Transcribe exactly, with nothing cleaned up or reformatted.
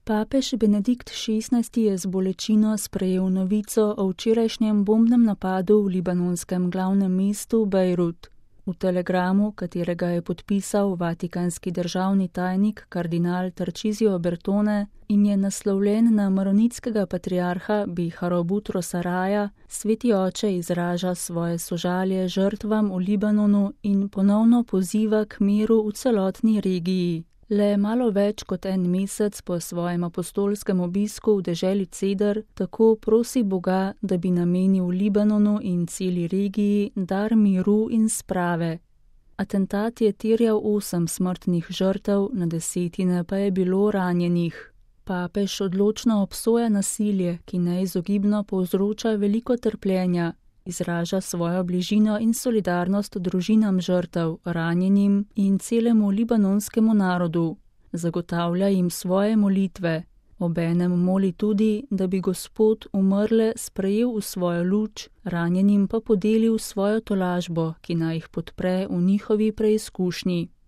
Papež Benedikt šestnajsti je z bolečino sprejel novico o včerajšnjem bombnem napadu v libanonskem glavnem mestu Bejrut. V telegramu, katerega je podpisal vatikanski državni tajnik kardinal Tarcisio Bertone in je naslovljen na maronitskega patriarha Biharo Butrosa Raja, sveti oče izraža svoje sožalje žrtvam v Libanonu in ponovno poziva k miru v celotni regiji. Le malo več kot en mesec po svojem apostolskem obisku v deželi Ceder tako prosi Boga, da bi namenil Libanonu in celi regiji dar miru in sprave. Atentat je terjal osem smrtnih žrtev, na desetine pa je bilo ranjenih. Papež odločno obsoja nasilje, ki neizogibno povzroča veliko trpljenja, izraža svojo bližino in solidarnost družinam žrtev, ranjenim in celemu libanonskemu narodu. Zagotavlja jim svoje molitve. Obenem moli tudi, da bi Gospod umrle sprejel v svojo luč, ranjenim pa podelil svojo tolažbo, ki naj jih podpre v njihovi preizkušnji.